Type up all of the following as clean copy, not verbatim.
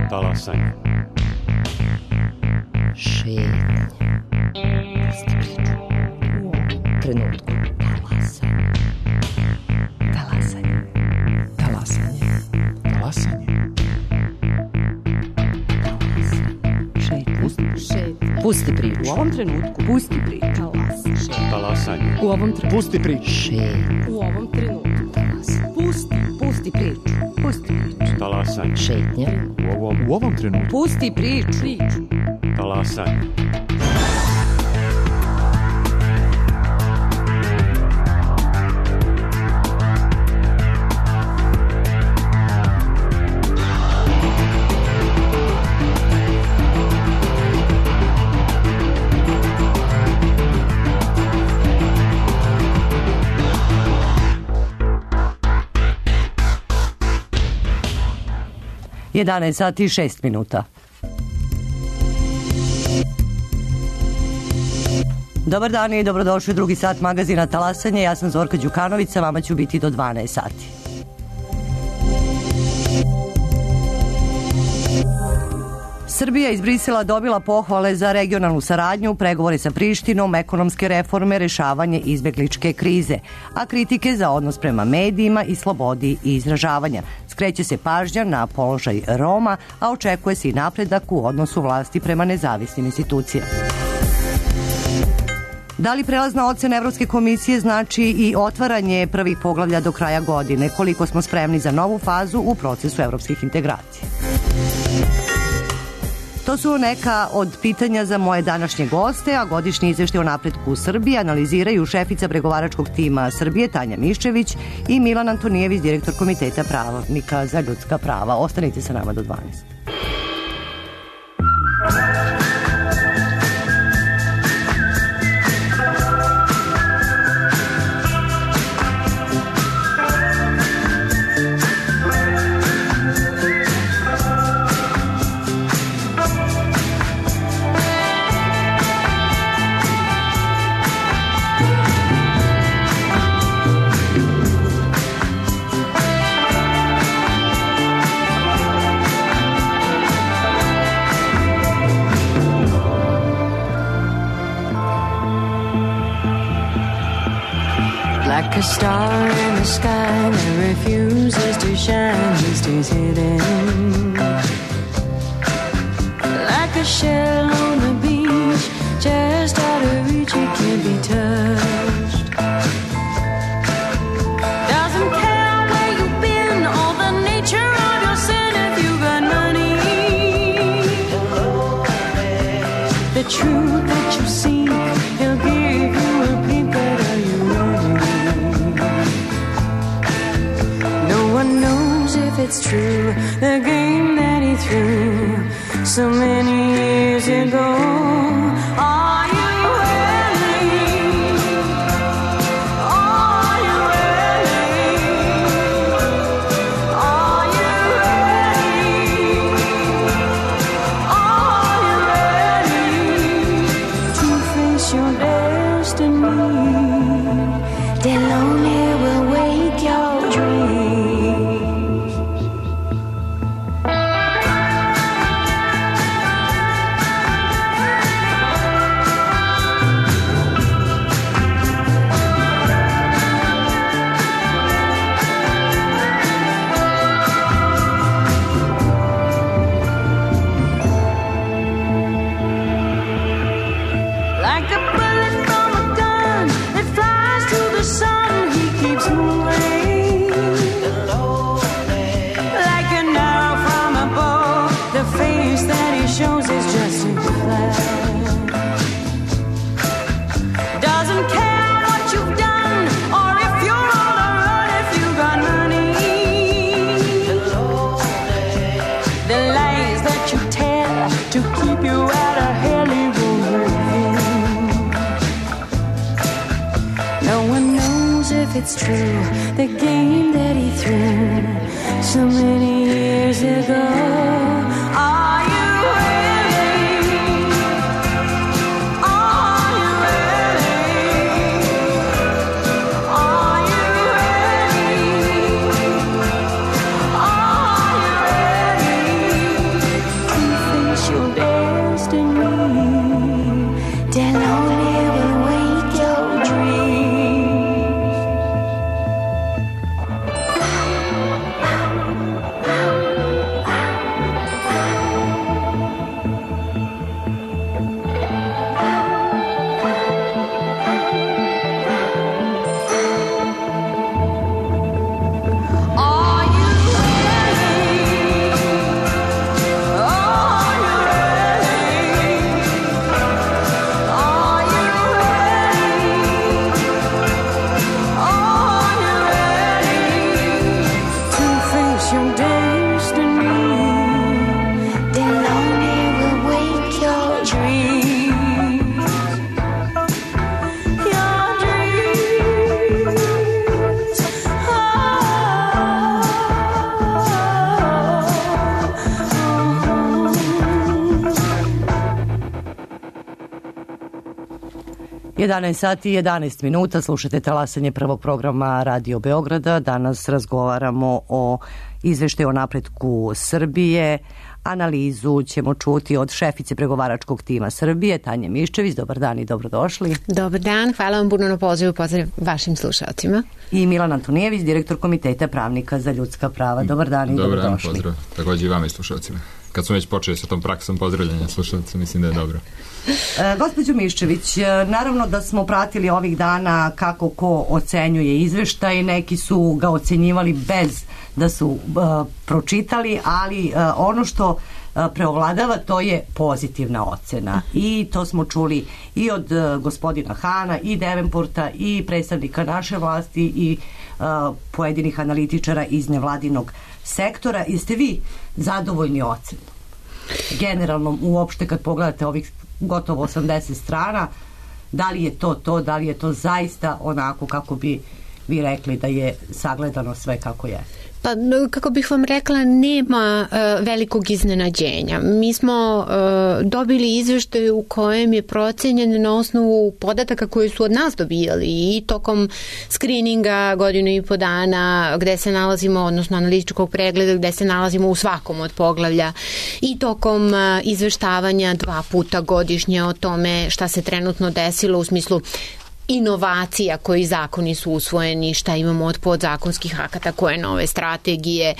Talasanje. Šetnje. Pusti priču. U ovom trenutku. Talasanje. Talasanje. Talasanje. Šetnje. Pusti priču. U ovom trenutku. Pusti priču. Talasanje. U ovom trenutku. Pusti priču. Šetnje. U ovom trenutku. Pusti priču. Pusti priču. Talasanje. Šetnje. U ovom trenutku. Pusti priču. Talasanje. Jedanaest sati i 6 minuta. Dobar dan i dobrodošli u drugi sat magazina Talasanje. Ja sam Zorka Đukanović, sa vama ću biti do 12 sati. Srbija iz Brisela dobila pohvale za regionalnu saradnju, pregovore sa Prištinom, ekonomske reforme, rešavanje izbegličke krize, a kritike za odnos prema medijima i slobodi izražavanja. Skreće se pažnja na položaj Roma, a očekuje se i napredak u odnosu vlasti prema nezavisnim institucijama. Da li prelazna ocena Evropske komisije znači i otvaranje prvih poglavlja do kraja godine? Koliko smo spremni za novu fazu u procesu evropskih integracija? To su neka od pitanja za moje današnje goste, a godišnji izveštaj o napretku u Srbiji analiziraju šefica pregovaračkog tima Srbije Tanja Miščević i Milan Antonijević, direktor Komiteta pravnika za ljudska prava. Ostanite sa nama do 12. Like a star in the sky that refuses to shine, he stays hidden. Like a shell on the beach, just out of reach, it can't be touched. Doesn't care where you've been or the nature of your sin if you got money. The truth that you seek, he'll give you a peep at all you running. If it's true, the game that he threw so many years ago. Are you ready? Are you ready? Are you ready? Are you ready to face your destiny? The lonely will wake your dreams. To keep you out of hell, he won't hurt. No one knows if it's true, the game that he threw so many years ago. Are you ready? Are you ready? Are you ready? Are you ready 11 sati i 11 minuta, slušate talasanje prvog programa Radio Beograda. Danas razgovaramo o izveštaju o napretku Srbije. Analizu ćemo čuti od šefice pregovaračkog tima Srbije, Tanje Miščević. Dobar dan i dobrodošli. Dobar dan, hvala vam puno na pozivu, pozdrav vašim slušalcima. I Milan Antonijević, direktor Komiteta pravnika za ljudska prava. Dobar dan i dobrodošli. Dobar dan, pozdrav. Također i vama i slušalcima. Kad smo već počeli sa tom praksom pozdravljanja slušalca, mislim da je dobro. Gospođo Miščević, naravno da smo pratili ovih dana kako ko ocenjuje izveštaj, neki su ga ocenjivali bez da su pročitali, ali ono što preovladava to je pozitivna ocena i to smo čuli i od gospodina Hana i Devenporta i predstavnika naše vlasti i pojedinih analitičara iz nevladinog sektora. Jeste vi zadovoljni ocenom? Generalno, uopšte kad pogledate ovih gotovo 80 strana, da li je to, da li je to zaista onako kako bi vi rekli da je sagledano sve kako je? Pa, kako bih vam rekla, nema velikog iznenađenja. Mi smo dobili izveštaj u kojem je procenjen na osnovu podataka koje su od nas dobijali i tokom skrininga godinu i po dana gde se nalazimo, odnosno analitičkog pregleda gde se nalazimo u svakom od poglavlja i tokom izveštavanja 2 puta godišnje o tome šta se trenutno desilo u smislu inovacija, koji zakoni su usvojeni, šta imamo od podzakonskih akata, koje nove strategije.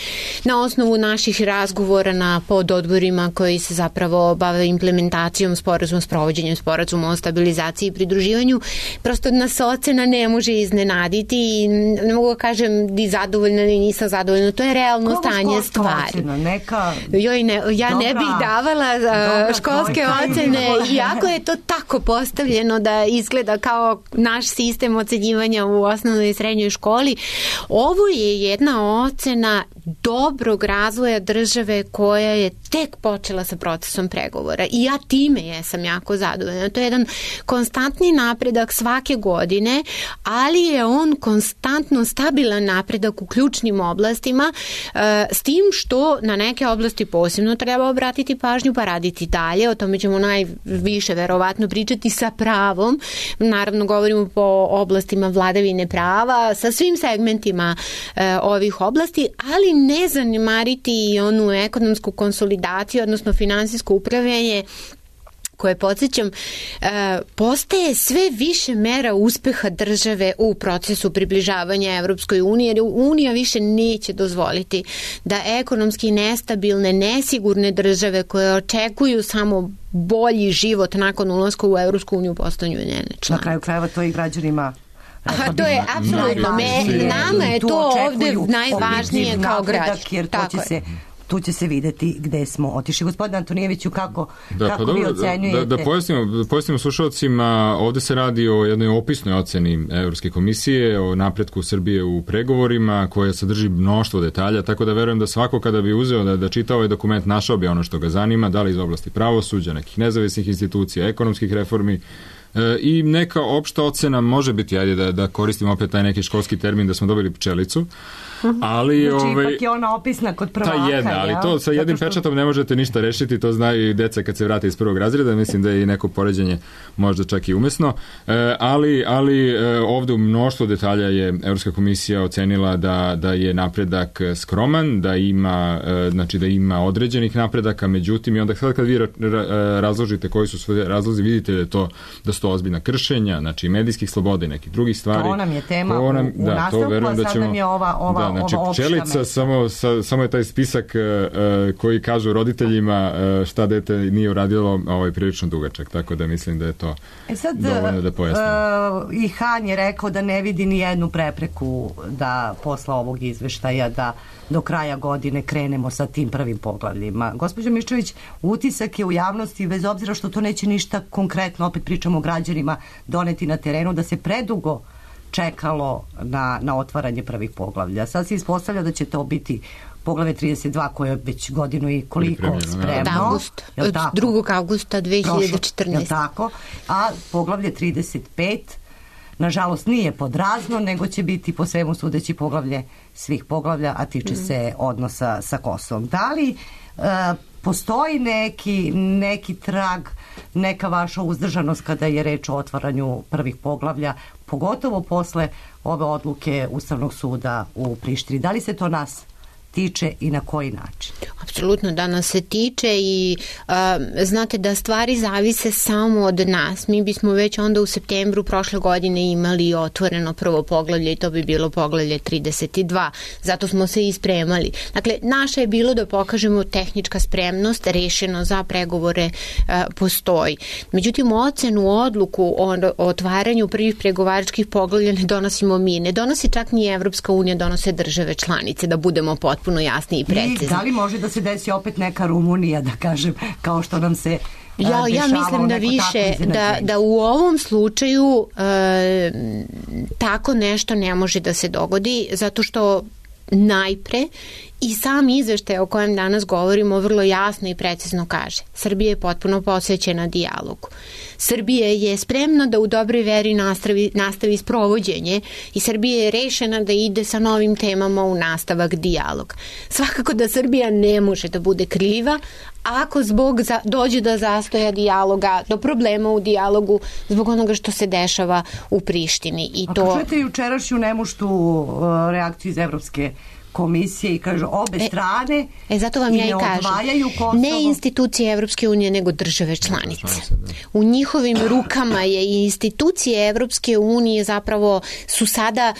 Na osnovu naših razgovora na pododborima koji se zapravo bave implementacijom sporazuma, sprovođenjem sporazuma o stabilizaciji i pridruživanju, prosto nas ocena ne može iznenaditi i ne mogu da kažem ni zadovoljna ni nisam zadovoljna. To je realno stanje stvari. Ja ne bih davala školske ocene, iako je to tako postavljeno da izgleda kao naš sistem ocenjivanja u osnovnoj i srednjoj školi. Ovo je jedna ocena dobrog razvoja države koja je tek počela sa procesom pregovora i ja time jesam jako zadovoljna. To je jedan konstantni napredak svake godine, ali je on konstantno stabilan napredak u ključnim oblastima, s tim što na neke oblasti posebno treba obratiti pažnju pa raditi dalje. O tome ćemo najviše verovatno pričati sa pravom. Naravno govorimo po oblastima vladavine prava, sa svim segmentima ovih oblasti, ali ne zanemariti i onu ekonomsku konsolidaciju, odnosno finansijsko upravljanje koje, podsjećam, postaje sve više mera uspeha države u procesu približavanja Evropskoj uniji, jer Unija više neće dozvoliti da ekonomski nestabilne, nesigurne države koje očekuju samo bolji život nakon ulaska u Evropsku uniju postanu njene članice. Na kraju krajeva to i građanima. To je apsolutno. Nama je to ovde najvažnije kao građan. Tu će se videti gde smo otišli. Gospodin Antonijeviću, kako vi ocenjujete? Da pojasnimo slušalcima, ovde se radi o jednoj opisnoj oceni Evropske komisije, o napretku Srbije u pregovorima, koja sadrži mnoštvo detalja, tako da verujem da svako kada bi uzeo da čita ovaj dokument, našao bi ono što ga zanima, da li iz oblasti pravosuđa, nekih nezavisnih institucija, ekonomskih reformi, i neka opšta ocena može biti, ajde da koristimo opet taj neki školski termin, da smo dobili pčelicu, ali znači ipak je ona opisna kod prvaka. Ta jedna, ali to sa jednim pečatom ne možete ništa rešiti, to znaju i deca kad se vrate iz prvog razreda, mislim da je i neko poređenje možda čak i umesno, ali ovde u mnoštvo detalja je Evropska komisija ocenila da je napredak skroman, da ima određenih napredaka, međutim i onda sad kad vi razložite koji su sve razlozi, vidite da su to ozbiljna kršenja, znači medijskih sloboda i nekih drugih stvari. To nam je tema u nastavku, a sad nam je ova pčelica, samo je taj spisak koji kažu roditeljima šta dete nije uradilo, prilično dugačak, tako da mislim da je to dovoljno da pojasnimo. I Han je rekao da ne vidi ni jednu prepreku da posle ovog izveštaja da do kraja godine krenemo sa tim prvim poglavljima. Gospođo Miščević, utisak je u javnosti, bez obzira što to neće ništa konkretno, opet pričamo o građanima, doneti na terenu, da se predugo čekalo na otvaranje prvih poglavlja. Sad se ispostavlja da će to biti poglavlje 32 koje je već godinu i koliko spremno. Od 2. augusta 2014. Je tako? A poglavlje 35 nažalost nije pod razno, nego će biti po svemu sudeći poglavlje svih poglavlja, a tiče se odnosa sa Kosovom. Da li postoji neki trag, neka vaša uzdržanost kada je reč o otvaranju prvih poglavlja, pogotovo posle ove odluke Ustavnog suda u Prištini? Da li se to nas tiče i na koji način? Apsolutno da nas se tiče i znate da stvari zavise samo od nas. Mi bismo već onda u septembru prošle godine imali otvoreno prvo poglavlje i to bi bilo poglavlje 32. Zato smo se i spremali. Dakle, naše je bilo da pokažemo tehnička spremnost, rešeno za pregovore postoji. Međutim, ocenu, odluku o otvaranju prvih pregovaračkih poglavlja ne donosimo mi. Ne donosi čak ni Evropska unija, donose države članice, da budemo potpuno jasni i precizni. I da li može da se desi opet neka Rumunija, da kažem, kao što nam se dešava ja mislim da više, da u ovom slučaju tako nešto ne može da se dogodi, zato što najpre i sam izveštaj o kojem danas govorimo vrlo jasno i precizno kaže: Srbija je potpuno posvećena dijalogu. Srbija je spremna da u dobroj veri nastavi sprovođenje i Srbija je rešena da ide sa novim temama u nastavak dijaloga. Svakako da Srbija ne može da bude kriva ako dođe do zastoja dijaloga, do problema u dijalogu zbog onoga što se dešava u Prištini. Ako čujete jučerašnju nemuštu reakciju iz Evropske komisije i kaže obe strane zato vam ja i kažem, ne institucije Evropske unije, nego države članice. U njihovim rukama je i institucije Evropske unije zapravo su sada,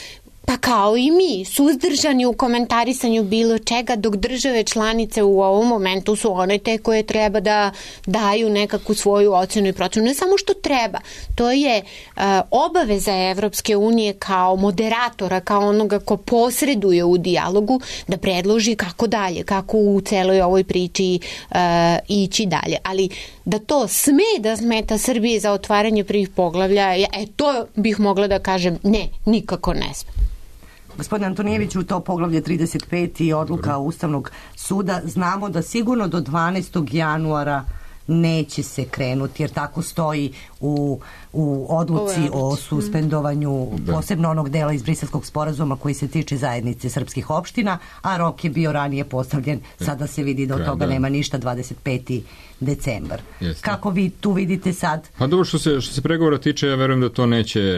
pa kao i mi, suzdržani u komentarisanju bilo čega, dok države članice u ovom momentu su one te koje treba da daju nekakvu svoju ocenu i procenu. Ne samo što treba, to je obaveza Evropske unije kao moderatora, kao onoga ko posreduje u dijalogu, da predloži kako dalje, kako u celoj ovoj priči ići dalje. Ali da to sme da smeta Srbije za otvaranje prvih poglavlja, to bih mogla da kažem ne, nikako ne sme. Gospodine Antonijeviću, to poglavlje 35 i odluka Ustavnog suda, znamo da sigurno do 12. januara neće se krenuti, jer tako stoji u odluci o suspendovanju posebno onog dela iz Briselskog sporazuma koji se tiče zajednice srpskih opština, a rok je bio ranije postavljen, sada se vidi da od toga nema ništa, 25. decembar. Kako vi tu vidite sad? Pa dobro, što se pregovora tiče, ja verujem da to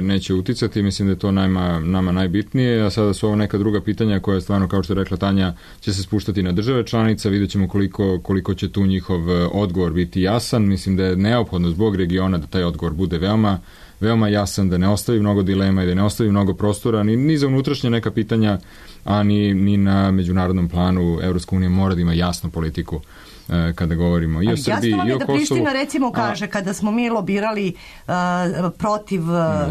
neće uticati, mislim da je to nama najbitnije, a sada su ovo neka druga pitanja koja stvarno, kao što je rekla Tanja, će se spuštati na države članica, vidjet ćemo koliko će tu njihov odgovor biti jasan. Mislim da je neophodno zbog regiona da taj odgovor bude veoma jasan, da ne ostavi mnogo dilema i da ne ostavi mnogo prostora ni za unutrašnje neka pitanja, a ni na međunarodnom planu. Evropska unija mora da ima jasnu politiku kada govorimo i o Srbiji i o Kosovu. Jasno vam je da Priština recimo kaže kada smo mi lobirali protiv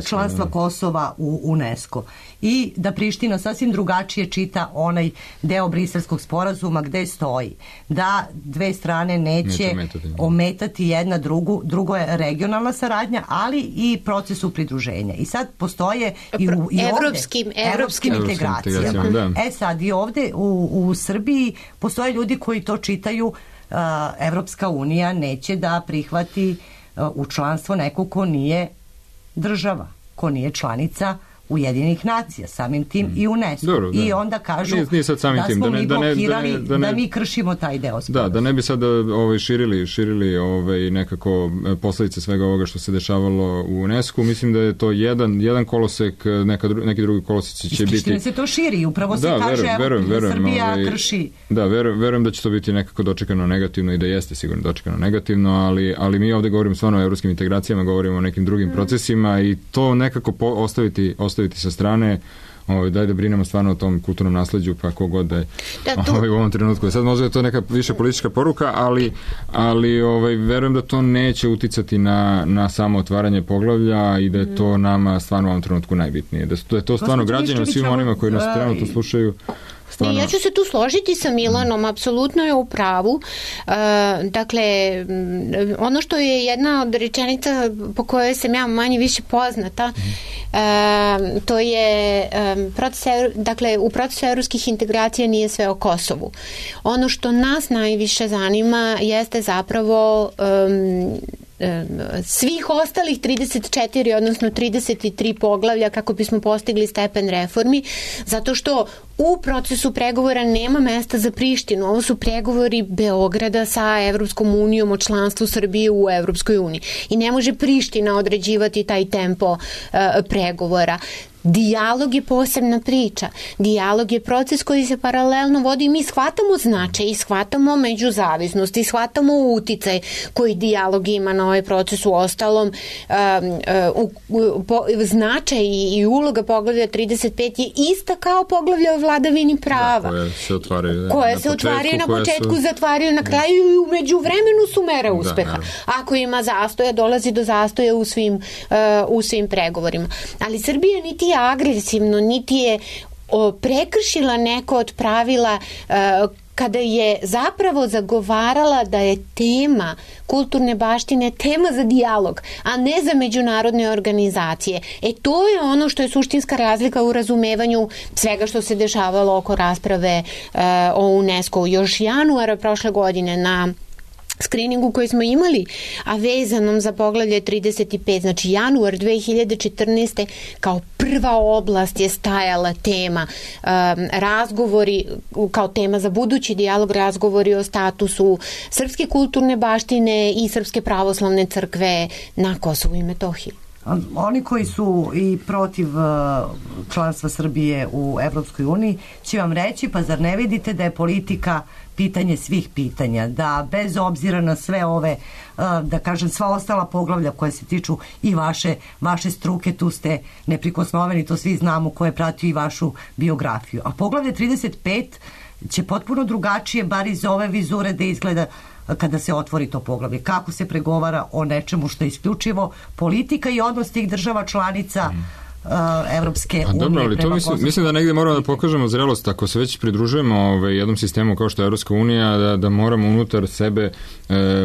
članstva Kosova u UNESCO i da Priština sasvim drugačije čita onaj deo Briselskog sporazuma gde stoji da dve strane neće ometati jedna drugo je regionalna saradnja, ali i procesu pridruženja. I sad postoje i evropskim integracijama. Da. Sad i ovde u Srbiji postoje ljudi koji to čitaju. Evropska unija neće da prihvati u članstvo neko ko nije država, ko nije članica Ujedinjenih nacija, samim tim i UNESCO. Dobro, i onda kažu nije sad samim tim, smo mi blokirali da mi kršimo taj deo sporazuma. Da ne bi sad širili nekako posledice svega ovoga što se dešavalo u UNESCO. Mislim da je to jedan kolosek, neki drugi koloseci će biti... Ispričine se to širi, upravo se kaže Srbija krši. Da, verujem da će to biti nekako dočekano negativno i da jeste sigurno dočekano negativno, ali mi ovde govorimo stvarno o evropskim integracijama, govorimo o nekim drugim procesima i to nekako ostaviti sa strane, daj da brinemo stvarno o tom kulturnom nasleđu, pa kogod da je u ovom trenutku. Sad možda je to neka više politička poruka, ali verujem da to neće uticati na samo otvaranje poglavlja i da je to nama stvarno u ovom trenutku najbitnije. Da je to stvarno građanima, svim onima koji nas trenutno slušaju. Ja ću se tu složiti sa Milanom, apsolutno je u pravu. Dakle, ono što je jedna od rečenica po kojoj sam ja manje više poznata, to je u procesu evropskih integracija nije sve o Kosovu. Ono što nas najviše zanima jeste zapravo svih ostalih 34, odnosno 33 poglavlja kako bismo postigli stepen reformi, zato što u procesu pregovora nema mesta za Prištinu. Ovo su pregovori Beograda sa Evropskom unijom o članstvu Srbije u Evropskoj uniji. I ne može Priština određivati taj tempo pregovora. Dijalog je posebna priča. Dijalog je proces koji se paralelno vodi i mi shvatamo značaj i shvatamo međuzavisnost i shvatamo uticaj koji dijalog ima na ovaj proces. U ostalom, značaj i uloga poglavlja 35 je ista kao poglavlja o vladavini prava. Koje se otvaraju na početku, zatvaraju na kraju i umeđu vremenu su mere uspeha. Ako ima zastoja, dolazi do zastoja u svim pregovorima. Ali Srbija niti je agresivno, niti je prekršila neko od pravila kada je zapravo zagovarala da je tema kulturne baštine tema za dijalog, a ne za međunarodne organizacije. To je ono što je suštinska razlika u razumevanju svega što se dešavalo oko rasprave o UNESCO. Još januara prošle godine na skriningu koji smo imali, a vezanom za poglavlje 35, znači januar 2014. kao prva oblast je stajala tema razgovori, kao tema za budući dijalog, razgovori o statusu srpske kulturne baštine i Srpske pravoslavne crkve na Kosovu i Metohiji. Oni koji su i protiv članstva Srbije u Evropskoj uniji će vam reći, pa zar ne vidite da je politika pitanje svih pitanja, da bez obzira na sve ove, da kažem, sva ostala poglavlja koje se tiču i vaše struke, tu ste neprikosnoveni, to svi znamo, koje pratio i vašu biografiju. A poglavlje 35 će potpuno drugačije, bar iz ove vizure, da izgleda kada se otvori to poglavlje. Kako se pregovara o nečemu što je isključivo politika i odnos tih država članica Evropske unije. Dobro, ali to mislim da negdje moramo da pokažemo zrelost. Ako se već pridružujemo jednom sistemu kao što je Evropska unija, da moramo unutar sebe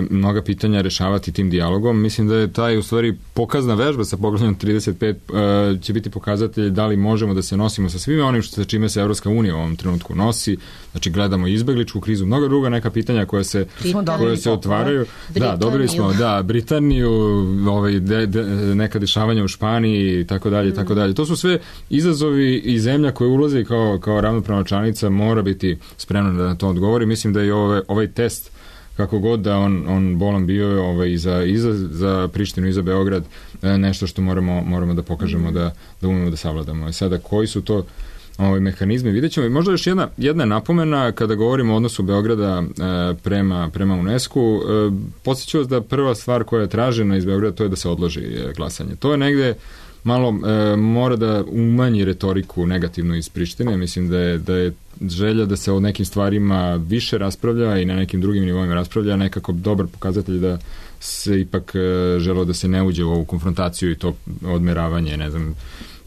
mnoga pitanja rešavati tim dijalogom. Mislim da je taj u stvari pokazna vežba sa poglavljem 35 će biti pokazatelj da li možemo da se nosimo sa svime onim sa čime se Evropska unija u ovom trenutku nosi. Znači gledamo izbegličku krizu, mnoga druga neka pitanja koja se otvaraju. Da, dobili smo Britaniju, neka dešavanja u Španiji i tako dalje, tako dalje. To su sve izazovi i zemlja koja ulazi kao ravnopravna članica mora biti spremna da na to odgovori. Mislim da je ovaj test, kako god da on bolan bio i za Prištinu i za Beograd, nešto što moramo da pokažemo da umemo da savladamo. Sada koji su to mehanizmi, vidjet ćemo. I možda još jedna napomena kada govorimo o odnosu Beograda prema UNESCO-u. Podsjeću vas da prva stvar koja je tražena iz Beograda to je da se odloži glasanje. To je negde malo mora da umanji retoriku negativno iz Prištine. Mislim da je želja da se o nekim stvarima više raspravlja i na nekim drugim nivoima raspravlja, nekako dobar pokazatelj da se ipak želo da se ne uđe u ovu konfrontaciju i to odmeravanje, ne znam,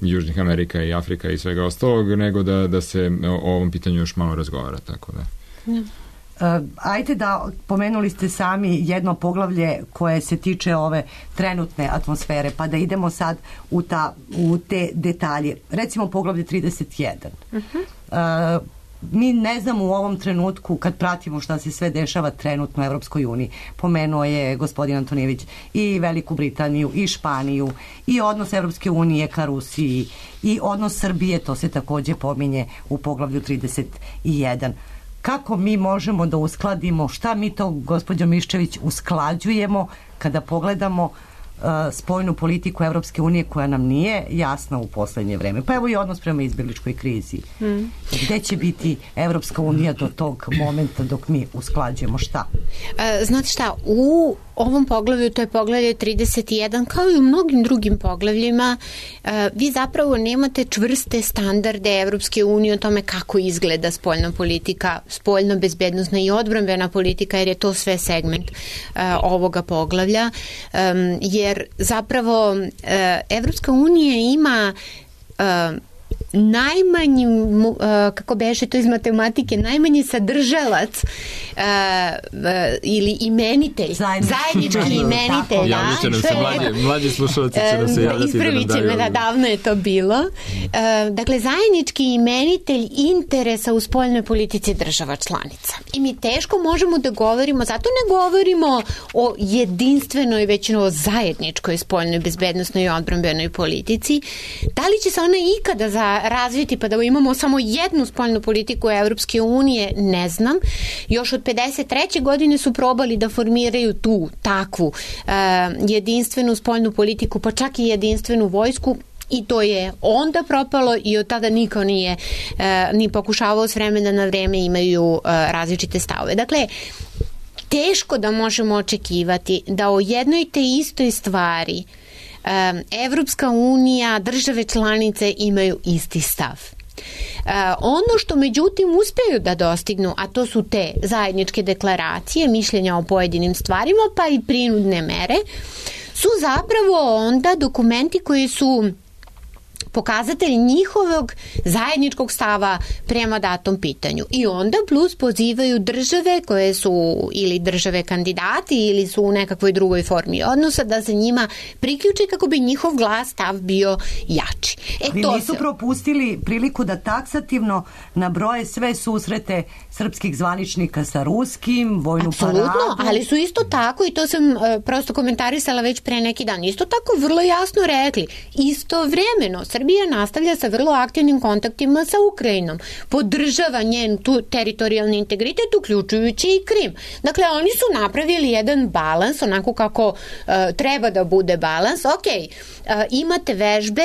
Južnih Amerika i Afrika i svega ostalog, nego da se o ovom pitanju još malo razgovara, tako da. Ajde da, pomenuli ste sami jedno poglavlje koje se tiče ove trenutne atmosfere, pa da idemo sad u te detalje. Recimo poglavlje 31. Mi ne znamo u ovom trenutku, kad pratimo šta se sve dešava trenutno u Evropskoj uniji, pomenuo je gospodin Antonijević i Veliku Britaniju i Španiju i odnos Evropske unije ka Rusiji i odnos Srbije, to se takođe pominje u poglavlju 31. Kako mi možemo da uskladimo, šta mi to, gospođo Miščević, usklađujemo kada pogledamo spoljnu politiku Evropske unije koja nam nije jasna u poslednje vreme. Pa evo i odnos prema izbegličkoj krizi. Gde će biti Evropska unija do tog momenta dok mi usklađujemo šta? Znate šta, u ovom poglavlju, to je poglavlje 31, kao i u mnogim drugim poglavljima, vi zapravo nemate čvrste standarde Evropske unije o tome kako izgleda spoljna politika, spoljno bezbednosna i odbrambena politika, jer je to sve segment ovoga poglavlja, jer zapravo Evropska unija ima najmanji, kako beše to iz matematike, najmanji sadržalac ili imenitelj, zajednički imenitelj. Javit će nam se mlađi slušalci će nam se javljati. Ispravit će me, davno je to bilo. Dakle, zajednički imenitelj interesa u spoljnoj politici država članica. I mi teško možemo da govorimo, zato ne govorimo o jedinstvenoj, već o zajedničkoj spoljnoj bezbednosnoj i odbrambenoj politici. Da li će se ona ikada razviti pa da imamo samo jednu spoljnu politiku Evropske unije, ne znam. Još od 53. godine su probali da formiraju tu takvu jedinstvenu spoljnu politiku, pa čak i jedinstvenu vojsku, i to je onda propalo i od tada niko nije ni pokušavao s vremena na vreme, imaju različite stavove. Dakle, teško da možemo očekivati da o jednoj te istoj stvari Evropska unija, države članice imaju isti stav. Ono što međutim uspeju da dostignu, a to su te zajedničke deklaracije, mišljenja o pojedinim stvarima, pa i prinudne mere, su zapravo onda dokumenti koji su pokazatelj njihovog zajedničkog stava prema datom pitanju. I onda plus pozivaju države koje su ili države kandidati ili su u nekakvoj drugoj formi odnosa da se njima priključe kako bi njihov glas, stav bio jači. Vi nisu propustili priliku da taksativno nabroje sve susrete srpskih zvaničnika sa ruskim, vojnu paradu. Apsolutno, ali su isto tako, i to sam prosto komentarisala već pre neki dan, isto tako vrlo jasno rekli, istovremeno Srbija nastavlja sa vrlo aktivnim kontaktima sa Ukrajinom, podržava njen teritorijalni integritet, uključujući i Krim. Dakle, oni su napravili jedan balans, onako kako treba da bude balans. Imate vežbe,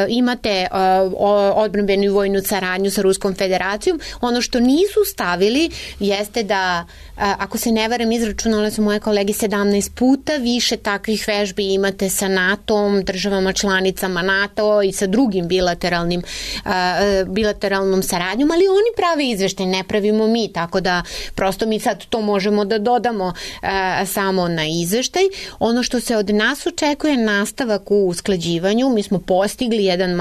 imate odbrambenu i vojnu saradnju sa Ruskom federacijom. Ono što nisu stavili jeste da, ako se ne varam, izračunale su moje kolege 17 puta više takvih vežbi imate sa NATO-om, državama članicama NATO i sa drugim bilateralnom saradnjom, ali oni prave izveštaj, ne pravimo mi, tako da prosto mi sad to možemo da dodamo samo na izveštaj. Ono što se od nas očekuje, nastavak u usklađivanju, mi smo postigli jedan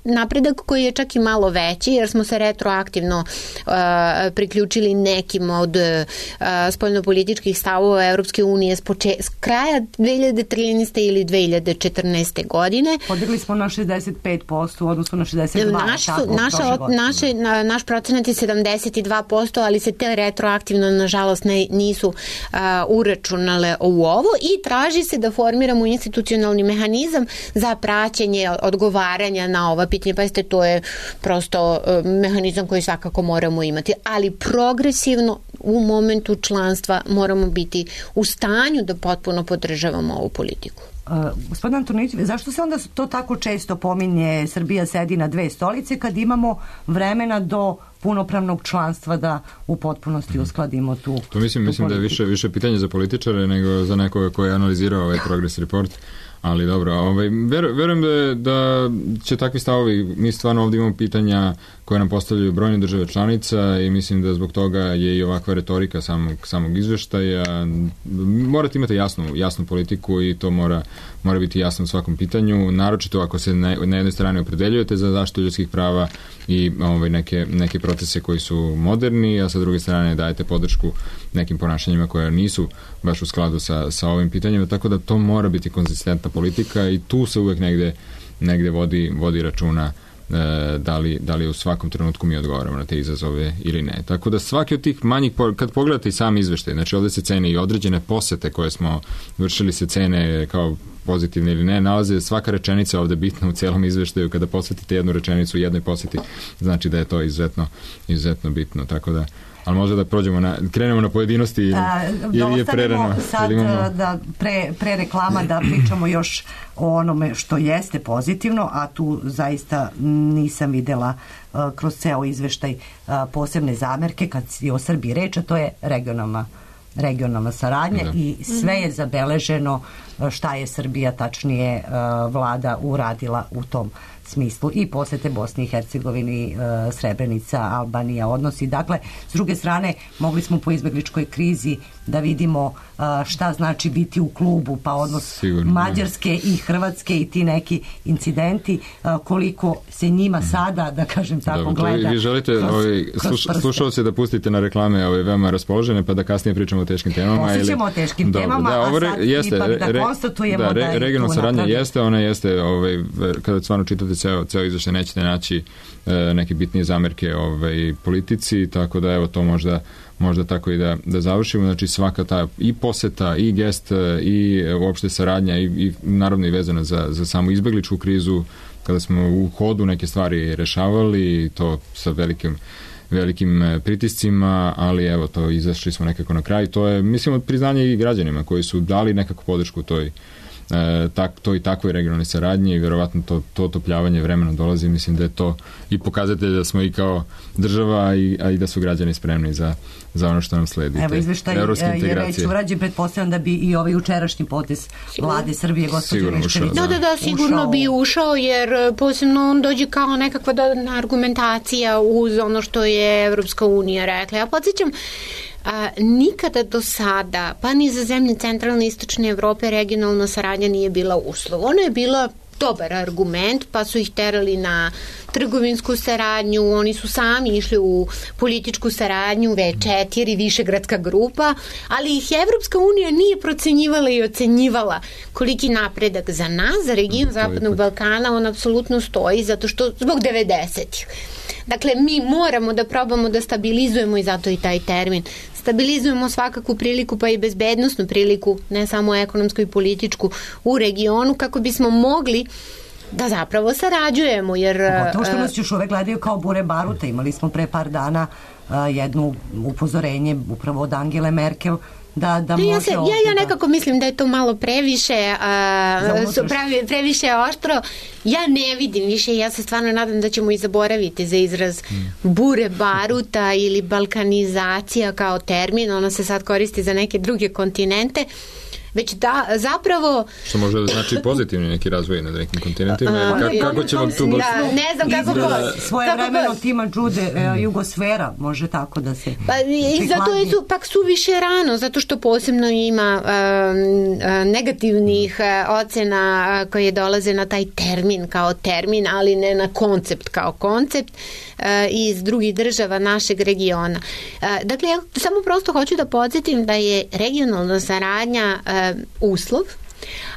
napredak koji je čak i malo veći, jer smo se retroaktivno priključili nekim od spoljnopolitičkih stavova Evropske unije s kraja 2013. ili 2014. godine. Podigli smo na 65% u odnosu na 62%. Naš procenat je 72%, ali se te retroaktivno, nažalost, nisu uračunale u ovo i traži se da formiramo institucionalni mehanizam za praćenje odgovaranja na ova pitanja. Pazite, to je prosto mehanizam koji svakako moramo imati, ali progresivno u momentu članstva moramo biti u stanju da potpuno podržavamo ovu politiku. Gospodin Antonijević, zašto se onda to tako često pominje, Srbija sedi na dve stolice, kad imamo vremena do punopravnog članstva da u potpunosti uskladimo tu to mislim da je više pitanje za političare nego za nekoga koji je analizirao ovaj progress report. Ali dobro, verujem da će takvi stavovi, mi stvarno ovdje imamo pitanja koje nam postavljaju brojne države članica i mislim da zbog toga je i ovakva retorika samog izveštaja. Morate imati jasnu politiku i to mora biti jasno u svakom pitanju, naročito ako se na jednoj strani opredeljujete za zaštitu ljudskih prava i neke procese koji su moderni, a sa druge strane dajete podršku nekim ponašanjima koja nisu baš u skladu sa ovim pitanjima, tako da to mora biti konzistentna politika i tu se uvek negde vodi računa da li u svakom trenutku mi odgovaramo na te izazove ili ne. Tako da svaki od tih manjih, kad pogledate i sam izveštaj, znači ovdje se cene i određene posete koje smo vršili, se cene kao pozitivne ili ne, nalaze svaka rečenica ovdje bitna u cijelom izveštaju. Kada posvetite jednu rečenicu u jednoj poseti, znači da je to izuzetno bitno. Tako da, ali možda da krenemo na pojedinosti ili je prerano. Sad da pre reklama da pričamo još o onome što jeste pozitivno, a tu zaista nisam videla kroz ceo izveštaj posebne zamerke kad je o Srbiji reč, a to je regionalna saradnja i sve je zabeleženo šta je Srbija, tačnije vlada, uradila u tom smislu i posete Bosni i Hercegovini, Srebrenica, Albanija odnosi. Dakle, s druge strane, mogli smo po izbegličkoj krizi da vidimo šta znači biti u klubu, pa odnos Mađarske i Hrvatske i ti neki incidenti, koliko se njima sada, da kažem tako, gleda. Vi želite slušalce da pustite na reklame veoma raspoložene, pa da kasnije pričamo o teškim temama. Posjećemo o teškim temama, a sad ipak da konstatujemo da je regionalna saradnja jeste, ona jeste, kada stvarno čitate ceo izveštaj, nećete naći neke bitnije zamerke politici, tako da evo to možda tako i da završimo. Znači svaka ta i poseta i gest i uopšte saradnja i naravno i vezana za samu izbegličku krizu kada smo u hodu neke stvari rešavali, to sa velikim pritiscima, ali evo, to izašli smo nekako na kraj. To je, mislim, priznanje i građanima koji su dali nekako podršku toj i takvoj regionalnoj saradnji i verovatno to otopljavanje vremena dolazi. Mislim da je to i pokazatelj da smo i kao država, a i da su građani spremni za ono što nam sledi. Evo, izveštaj je već urađen, pretpostavljam da bi i ovaj jučerašnji potez vlade Srbije, gospođe Miščević. Da, sigurno bi ušao, jer posebno on dođe kao nekakva dodatna argumentacija uz ono što je Evropska unija rekla. Ja podsjećam, nikada do sada, pa ni za zemlje centralne i istočne Evrope, regionalna saradnja nije bila uslov. Ona je bila dobar argument, pa su ih terali na trgovinsku saradnju, oni su sami išli u političku saradnju, V4, Višegradska grupa, ali ih Evropska unija nije procenjivala i ocenjivala koliki napredak za nas, za region Zapadnog Balkana, on apsolutno stoji, zato što zbog 90-ih. Dakle, mi moramo da probamo da stabilizujemo, i zato i taj termin, stabilizujemo svakakvu priliku, pa i bezbednosnu priliku, ne samo ekonomsku i političku, u regionu, kako bismo mogli da zapravo sarađujemo. Pogotovo što nas još uvek gledaju kao bure baruta. Imali smo pre par dana jedno upozorenje upravo od Angele Merkel da može ja nekako mislim da je to malo previše previše oštro. Ja ne vidim više, ja se stvarno nadam da ćemo i zaboraviti za izraz bure baruta ili balkanizacija kao termin, ona se sad koristi za neke druge kontinente, već da zapravo... Što može da znači pozitivni neki razvoj na nekim kontinentima. Kako će vam tu... ne znam kako... Svoje vremeno tima Đude, jugosfera, može tako da se... I zato je pak suviše rano, zato što posebno ima negativnih ocena koje dolaze na taj termin kao termin, ali ne na koncept kao koncept iz drugih država našeg regiona. Dakle, ja samo prosto hoću da podsjetim da je regionalna saradnja uslov,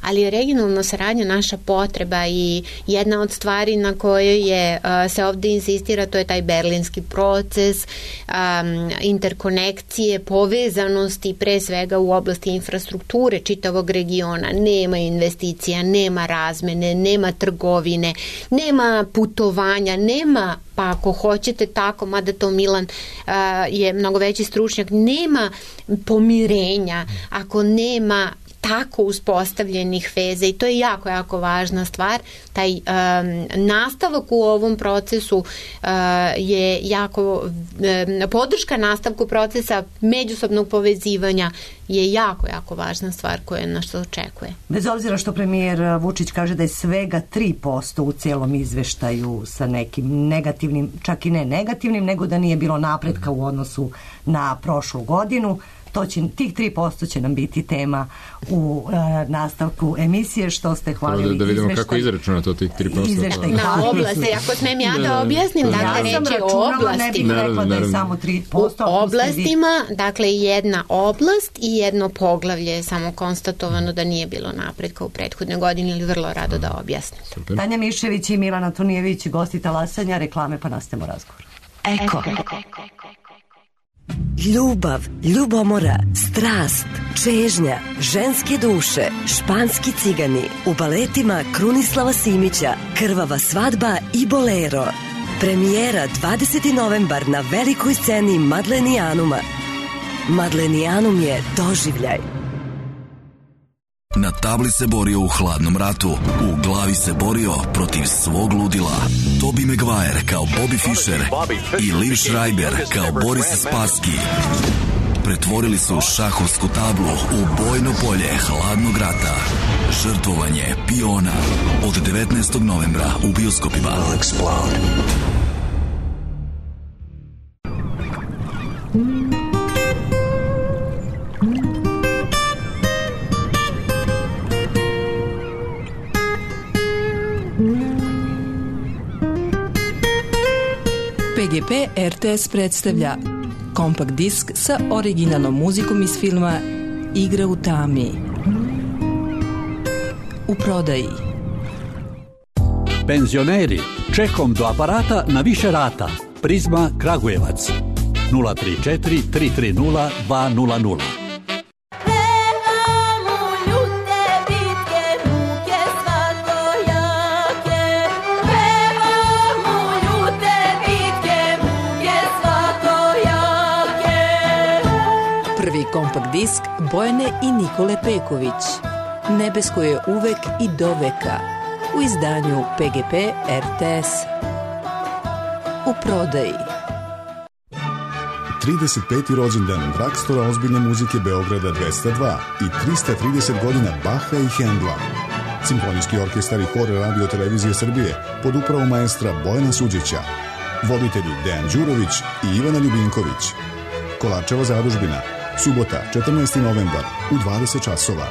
ali je regionalna saradnja naša potreba i jedna od stvari na kojoj se ovde insistira, to je taj berlinski proces, interkonekcije, povezanosti, pre svega u oblasti infrastrukture čitavog regiona. Nema investicija, nema razmene, nema trgovine, nema putovanja, nema, pa ako hoćete tako, mada to Milan je mnogo veći stručnjak, nema pomirenja ako nema tako uspostavljenih veza, i to je jako, jako važna stvar. Taj nastavak u ovom procesu je jako, podrška nastavku procesa međusobnog povezivanja je jako, jako važna stvar koja nas to očekuje. Bez obzira što premijer Vučić kaže da je svega 3% u celom izveštaju sa nekim negativnim, čak i ne negativnim, nego da nije bilo napretka u odnosu na prošlu godinu, tih 3% će nam biti tema u nastavku emisije, što ste hvalili izveštaj. Da vidimo kako izračuna to tih 3%. Na oblasti, ako smijem ja da objasnim, dakle reč je o oblasti. Ne bih rekla da je samo 3%. U oblastima, dakle jedna oblast i jedno poglavlje je samo konstatovano da nije bilo napretka u prethodnoj godini, ili vrlo rado da objasnim. Super. Tanja Miščević i Milan Antonijević, gosti Talasanja, reklame, pa nastavimo razgovor. Eko. Ljubav, ljubomora, strast, čežnja, ženske duše, španski cigani, u baletima Krunislava Simića, Krvava svadba i Bolero. Premijera 20. novembar na velikoj sceni Madlenijanuma. Madlenijanum je doživljaj. Na tabli se borio u hladnom ratu, u glavi se borio protiv svog ludila. Tobey Maguire kao Bobby Fischer i Liv Schreiber kao Boris Spassky pretvorili su šahovsku tablu u bojno polje hladnog rata. Žrtvovanje piona od 19. novembra u bioskopima. PGP RTS predstavlja kompakt disk sa originalnom muzikom iz filma Igra u tami. U prodaji. Penzioneri, čekom do aparata na više rata. Prizma Kragujevac 034 330 200. Prvi kompakt disk Bojane i Nikole Peković. Nebesko je uvek i do veka. U izdanju PGP RTS. U prodaji. 35. rođendan Dragstora ozbiljne muzike Beograda 202 i 330 godina Baha i Hendla. Simfonijski orkestar i hor Radio Televizije Srbije pod upravom maestra Bojana Suđića. Voditelji Dejan Đurović i Ivana Ljubinković. Kolarčeva zadužbina, subota 14. novembar u 20 časova.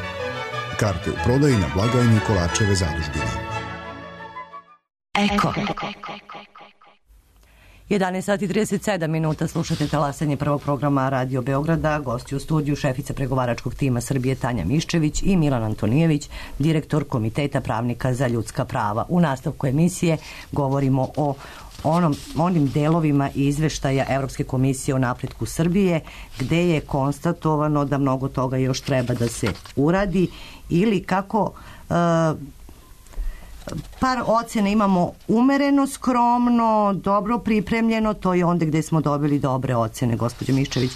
Karte u prodaji na blagajni Kolarčeve zadužbine. Eko. 11:37 slušate talasanje prvog programa Radio Beograda. Gosti u studiju šefica pregovaračkog tima Srbije Tanja Miščević i Milan Antonijević, direktor Komiteta pravnika za ljudska prava. U nastavku emisije govorimo o onim delovima izveštaja Evropske komisije o napretku Srbije, gde je konstatovano da mnogo toga još treba da se uradi ili kako par ocene imamo umereno, skromno, dobro pripremljeno, to je onda gde smo dobili dobre ocene, gospođo Miščević,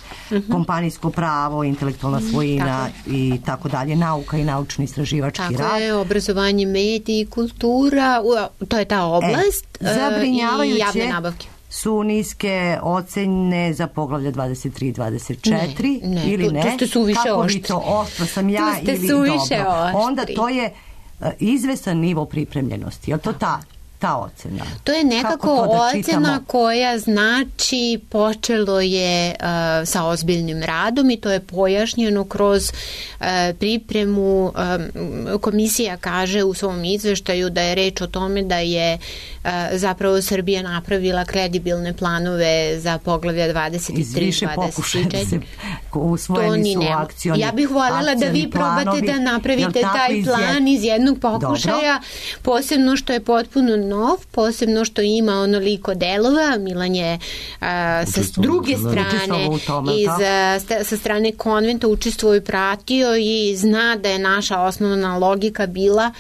kompanijsko pravo, intelektualna svojina i tako dalje, nauka i naučni istraživački rad. Tako je, obrazovanje, mediji, kultura, to je ta oblast i javne nabavke. Su niske ocene za poglavlja 23 i 24 ili ne? Tu ste suviše kako oštri. Vi to oštro sam ja ili dobro? Onda to je izvestan nivo pripremljenosti. Je li to ta ocena? To je nekako ocena koja znači počelo je sa ozbiljnim radom i to je pojašnjeno kroz pripremu. Komisija kaže u svom izveštaju da je reč o tome da je zapravo Srbija napravila kredibilne planove za poglavlja 23 i 24. Iz više pokušaja se usvojeni su akcioni. Ja bih voljela da vi probate da napravite taj plan iz jednog pokušaja, posebno što je potpuno nov, posebno što ima onoliko delova. Milan je sa druge strane sa strane konventa učestvovao i pratio i zna da je naša osnovna logika bila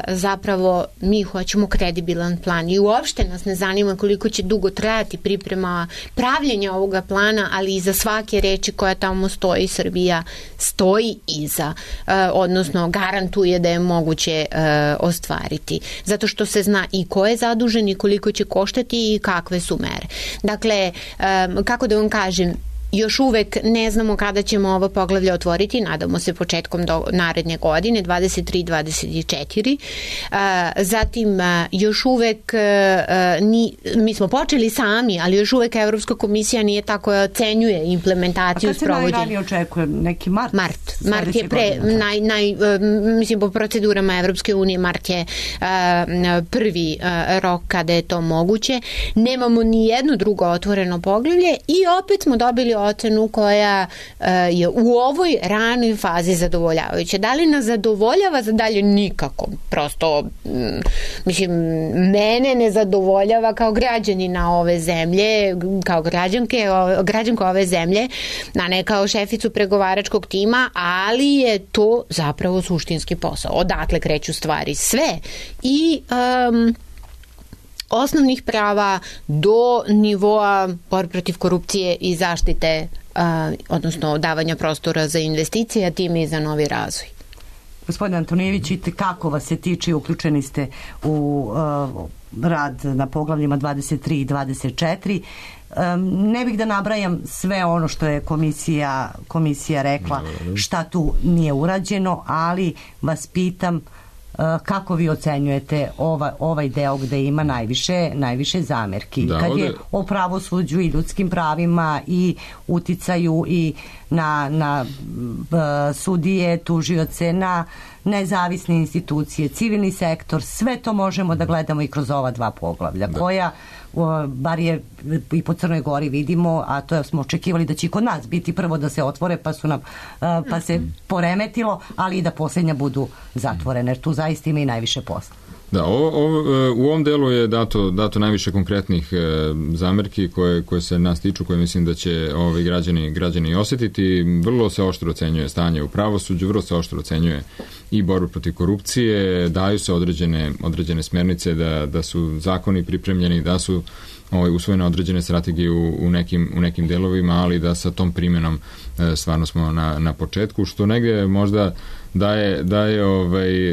zapravo mi hoćemo kredibilan plan i uopšte nas ne zanima koliko će dugo trajati priprema pravljenja ovoga plana, ali iza svake reči koja tamo stoji Srbija stoji iza, odnosno garantuje da je moguće ostvariti. Zato što se zna i ko je zadužen i koliko će koštati i kakve su mere. Dakle, kako da vam kažem, još uvek ne znamo kada ćemo ovo poglavlje otvoriti, nadamo se početkom naredne godine, 23-24. Zatim, još uvek, mi smo počeli sami, ali još uvek Evropska komisija nije tako ocenjuje implementaciju sprovođenja. A kad se najranije očekuje? Neki mart? Mart je mislim po procedurama Evropske unije, mart je prvi rok kada je to moguće. Nemamo ni jedno drugo otvoreno poglavlje i opet smo dobili ocenu koja je u ovoj ranoj fazi zadovoljavajuća. Da li nas zadovoljava za dalje? Nikako. Prosto, mislim, mene ne zadovoljava kao građanina ove zemlje, kao građanka ove zemlje, a ne kao šeficu pregovaračkog tima, ali je to zapravo suštinski posao. Odatle kreću stvari sve. I osnovnih prava do nivoa borbe protiv korupcije i zaštite, odnosno davanja prostora za investicije, a time i za novi razvoj. Gospodin Antonijević, kako vas se tiče, uključeni ste u rad na poglavljima 23 i 24. Ne bih da nabrajam sve ono što je komisija rekla, šta tu nije urađeno, ali vas pitam kako vi ocenjujete ovaj deo gde ima najviše zamerki, kad je o pravosuđu i ljudskim pravima i uticaju i na sudije, tužioce, na nezavisne institucije, civilni sektor, sve to možemo da gledamo i kroz ova dva poglavlja, koja bar je i po Crnoj Gori vidimo, a to smo očekivali da će kod nas biti prvo da se otvore, pa se poremetilo, ali i da posljednja budu zatvorene, jer tu zaista ima i najviše posla. Da, u ovom delu je dato najviše konkretnih zamerki koje se nas tiču, koje mislim da će građani osjetiti. Vrlo se oštro ocenjuje stanje u pravosuđu, vrlo se oštro ocenjuje i borbu protiv korupcije, daju se određene smernice da su zakoni pripremljeni, da su usvojene određene strategije u nekim delovima, ali da sa tom primjenom stvarno smo na početku, što negdje možda daje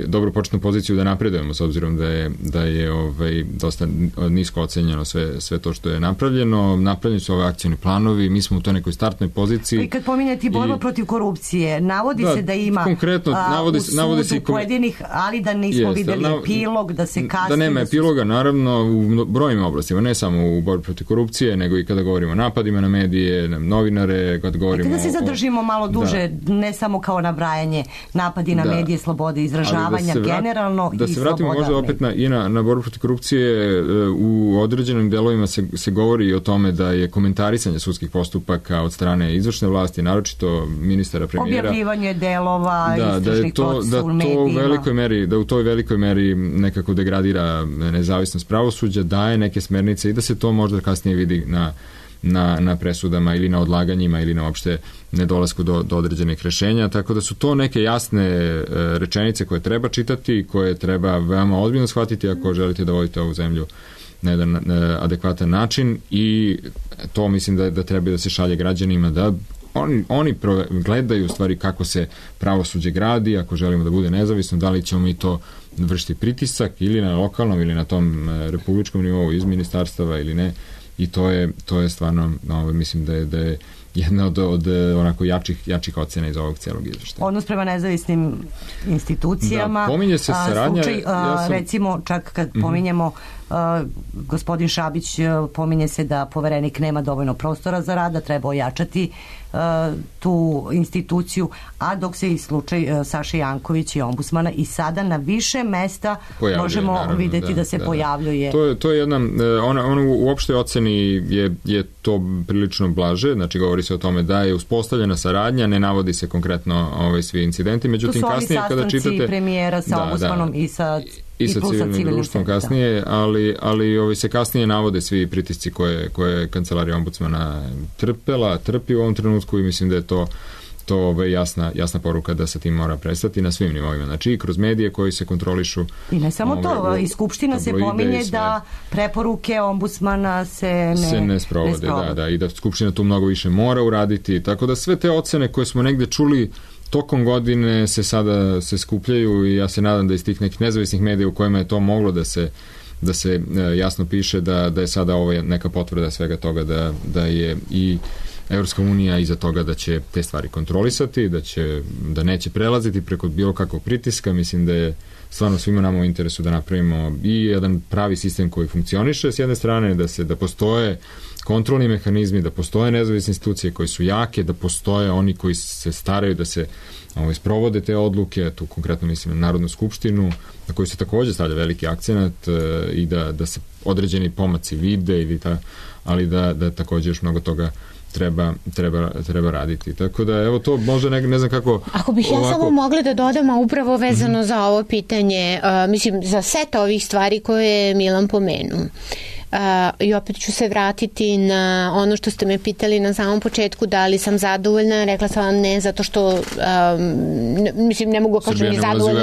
dobru početnu poziciju da napredujemo, s obzirom da je dosta nisko ocenjeno sve to što je napravljeno. Napravljeni su ove akcioni planovi, mi smo u toj nekoj startnoj poziciji. I kad pominjati borba protiv korupcije, navodi se da ima konkretno, u sudu pojedinih, ali da nismo vidjeli epilog, da se kasnije... Da nema epiloga, naravno, u brojnim oblastima, ne samo u borbi protiv korupcije, nego i kada govorimo o napadima na medije, na novinare, kad govorimo... Kada se zadržimo malo duže, ne samo kao nabrajanje napadi na medije, slobode izražavanja, generalno da se vratimo možda opet na borbu protiv korupcije. U određenim delovima se govori o tome da je komentarisanje sudskih postupaka od strane izvršne vlasti, naročito ministara, premijera, objavljivanje delova istražnih procesa u medijima, da u toj velikoj meri nekako degradira nezavisnost pravosuđa, daje neke smernice i da se to možda kasnije vidi na presudama ili na odlaganjima ili na uopšte nedolasku do određenih rešenja, tako da su to neke jasne rečenice koje treba čitati, koje treba veoma ozbiljno shvatiti ako želite da vodite ovu zemlju na jedan adekvatan način, i to mislim da treba da se šalje građanima, da oni gledaju u stvari kako se pravosuđe gradi, ako želimo da bude nezavisno, da li ćemo mi to vršiti pritisak ili na lokalnom ili na tom republičkom nivou iz ministarstava ili ne. I to je stvarno, mislim da je jedna od onako jačih ocena iz ovog cijelog izveštaja. Odnos prema nezavisnim institucijama. Da, pominje se saradnja. Recimo, čak kad pominjemo gospodin Šabić, pominje se da poverenik nema dovoljno prostora za rad, da treba ojačati tu instituciju, a dok se i slučaj Saše Janković i ombudsmana i sada na više mesta možemo vidjeti da se pojavljuje. To je jedna, ona u opštoj oceni je to prilično blaže, znači govori se o tome da je uspostavljena saradnja, ne navodi se konkretno svi incidenti, međutim kasnije kada čitate... To su ovi sastanci premijera sa ombudsmanom i sa civilnim društvom kasnije, ali se kasnije navode svi pritisci koje kancelarija ombudsmana trpi u ovom trenutku, i mislim da je to jasna poruka da se tim mora prestati na svim nivoima. Znači i kroz medije koji se kontrolišu. I ne samo to, i Skupština se pominje da preporuke ombudsmana se ne sprovode. Da, i da Skupština tu mnogo više mora uraditi, tako da sve te ocene koje smo negde čuli tokom godine se skupljaju, i ja se nadam da iz tih nekih nezavisnih medija u kojima je to moglo da se jasno piše da je sada ovo neka potvrda svega toga, da je i Evropska unija iza toga da će te stvari kontrolisati, da neće prelaziti preko bilo kakvog pritiska. Mislim da je stvarno svima nama u interesu da napravimo i jedan pravi sistem koji funkcioniše s jedne strane, da postoje kontrolni mehanizmi, da postoje nezavisne institucije koje su jake, da postoje oni koji se staraju da se sprovode te odluke, tu konkretno mislim na Narodnu skupštinu, na koju se također stavlja veliki akcenat, i da se određeni pomaci vide, ali da također još mnogo toga treba raditi. Tako da, evo to može ne znam kako... Ako bih ja samo mogla da dodam, a upravo vezano za ovo pitanje, mislim, za set ovih stvari koje je Milan pomenuo. I opet ću se vratiti na ono što ste me pitali na samom početku, da li sam zadovoljna. Rekla sam vam ne, zato što mislim, ne mogu kažem ni zadovoljna,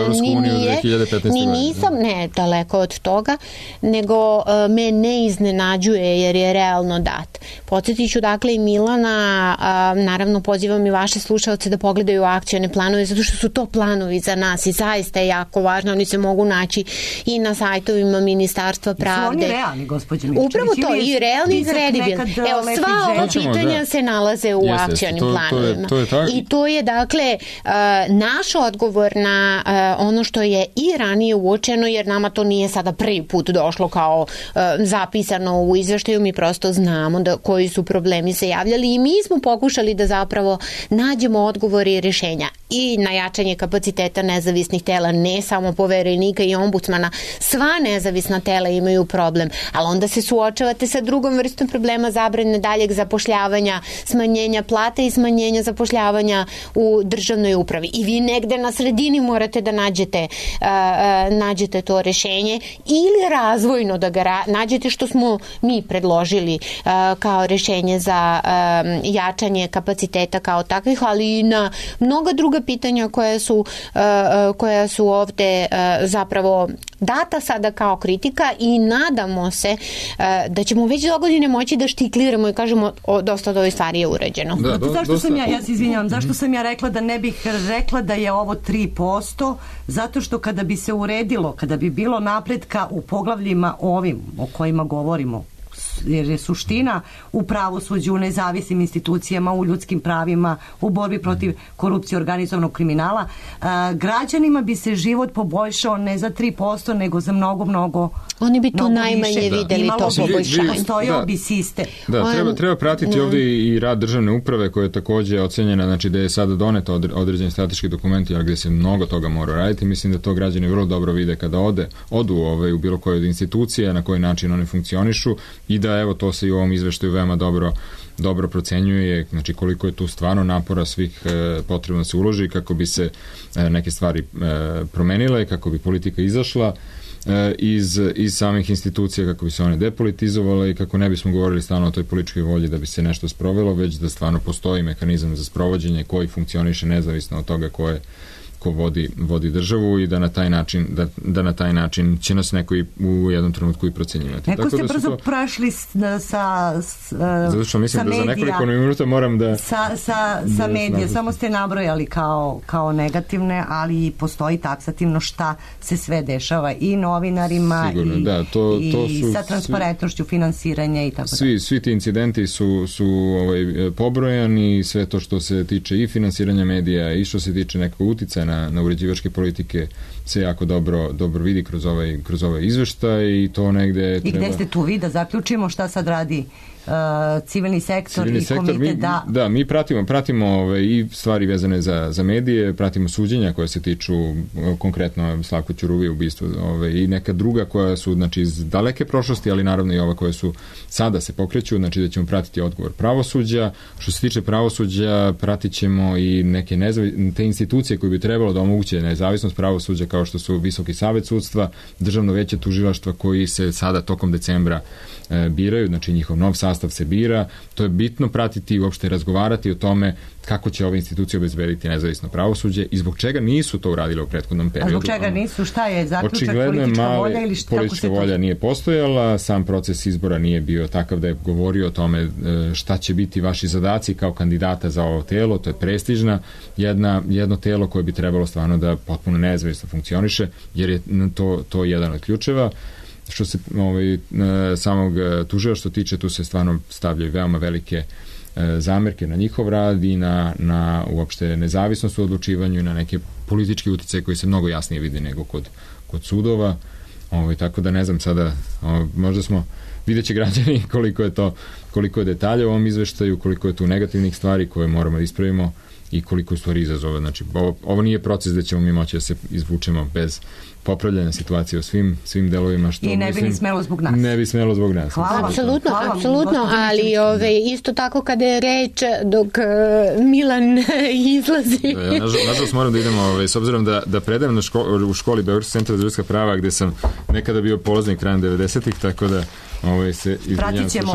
ni nisam, ne, daleko od toga, nego me ne iznenađuje jer je realno dat. Podsjetit ću dakle i Milana, naravno pozivam i vaše slušalce da pogledaju akcione planove, zato što su to planovi za nas i zaista je jako važno, oni se mogu naći i na sajtovima Ministarstva pravde. Su oni realni, gospođo? Upravo to, i realni i kredibilni. Evo, sva ova pitanja se nalaze u akcionim planovima. I to je, dakle, naš odgovor na ono što je i ranije uočeno, jer nama to nije sada prvi put došlo kao zapisano u izveštaju, mi prosto znamo koji su problemi se javljali i mi smo pokušali da zapravo nađemo odgovore i rješenja i na jačanje kapaciteta nezavisnih tela, ne samo poverenika i ombudsmana, sva nezavisna tela imaju problem, ali onda se suočavate sa drugom vrstom problema, zabrane daljeg zapošljavanja, smanjenja plata i smanjenja zapošljavanja u državnoj upravi. I vi negde na sredini morate da nađete to rješenje ili razvojno da ga nađete, što smo mi predložili kao rješenje za jačanje kapaciteta kao takvih, ali i na mnoga druga druga pitanja koja su ovde zapravo data sada kao kritika i nadamo se da ćemo već do godine moći da štikliramo i kažemo dosta od ove stvari je urađeno. Zašto sam ja se izvinjavam, zašto sam ja rekla da ne bih rekla da je ovo 3%, zato što kada bi se uredilo, kada bi bilo napretka u poglavljima ovim o kojima govorimo, jer je suština u pravosuđu, u nezavisnim institucijama, u ljudskim pravima, u borbi protiv korupcije, organizovanog kriminala, građanima bi se život poboljšao ne za 3%, nego za mnogo oni bi tu najmanje videli to poboljšanje. Postojao bi sistem. Da, treba pratiti ovdje i rad državne uprave koja je takođe ocenjena, znači da je sada doneto određeni strateški dokumenti, ali gdje se mnogo toga mora raditi. Mislim da to građani vrlo dobro vide kada odu u bilo koje od institucija, na koji način one funkcionišu i da evo to se i u ovom izveštaju veoma dobro procenjuje, znači koliko je tu stvarno napora svih potrebno da se uloži kako bi se neke stvari promenile, kako bi politika izašla iz samih institucija, kako bi se one depolitizovale i kako ne bismo govorili stalno o toj političkoj volji da bi se nešto sprovelo, već da stvarno postoji mehanizam za sprovođenje koji funkcioniše nezavisno od toga ko vodi državu i da na taj način će nas neko i u jednom trenutku i procenjivati. Neko ste brzo prošli sa zato što mislim da za nekoliko minuta moram da sa medija, samo ste nabrojali kao negativne, ali postoji taksativno šta se sve dešava i novinarima i sa transparentnošću finansiranja i tako da. Svi ti incidenti su pobrojani, sve to što se tiče i finansiranja medija i što se tiče nekog uticaja na uređivačke politike se jako dobro vidi kroz ovaj izveštaj i to negde treba... I gde ste tu vi da zaključimo šta sad radi civilni sektor i komitet da mi pratimo i stvari vezane za medije, pratimo suđenja koja se tiču konkretno Slavko Ćuruvije ubistvo i neka druga koja su znači iz daleke prošlosti, ali naravno i ova koja su sada se pokreću, znači da ćemo pratiti odgovor pravosuđa. Što se tiče pravosuđa, pratit ćemo i neke te institucije koje bi trebalo da omoguće nezavisnost pravosuđa, kao što su Visoki savet sudstva, Državno veće tužilaštva koji se sada tokom decembra biraju, znači njihov nov sastav se bira. To je bitno pratiti i uopšte razgovarati o tome kako će ove institucije obezbediti nezavisno pravosuđe i zbog čega nisu to uradile u prethodnom periodu. A zbog čega nisu? Šta je zaključak? Očigledno politička volja ili šta? Politička volja nije postojala, sam proces izbora nije bio takav da je govorio o tome šta će biti vaši zadaci kao kandidata za ovo telo. To je prestižna jedno telo koje bi trebalo stvarno da potpuno nezavisno funkcioniše, jer je to jedan od ključeva. Što se samog tužilaštva tiče, tu se stvarno stavljaju veoma velike zamerke na njihov rad i na uopšte nezavisnost u odlučivanju i na neke političke uticaje koji se mnogo jasnije vidi nego kod sudova. Tako da ne znam sada, možda vidjet će građani koliko je detalja u ovom izveštaju, koliko je tu negativnih stvari koje moramo da ispravimo i koliko je stvari izazova. Znači, ovo nije proces da ćemo mi moći da se izvučemo bez popravljanja situacije u svim delovima. I ne bi ni smelo zbog nas. Ne bi smelo zbog nas. Apsolutno, ali isto tako kada je reč dok Milan izlazi. Nažalost moram da idemo, s obzirom da predajem u školi Beogradskog centra za ljudska prava, gde sam nekada bio polaznik krajem 90-ih, tako da se pratit ćemo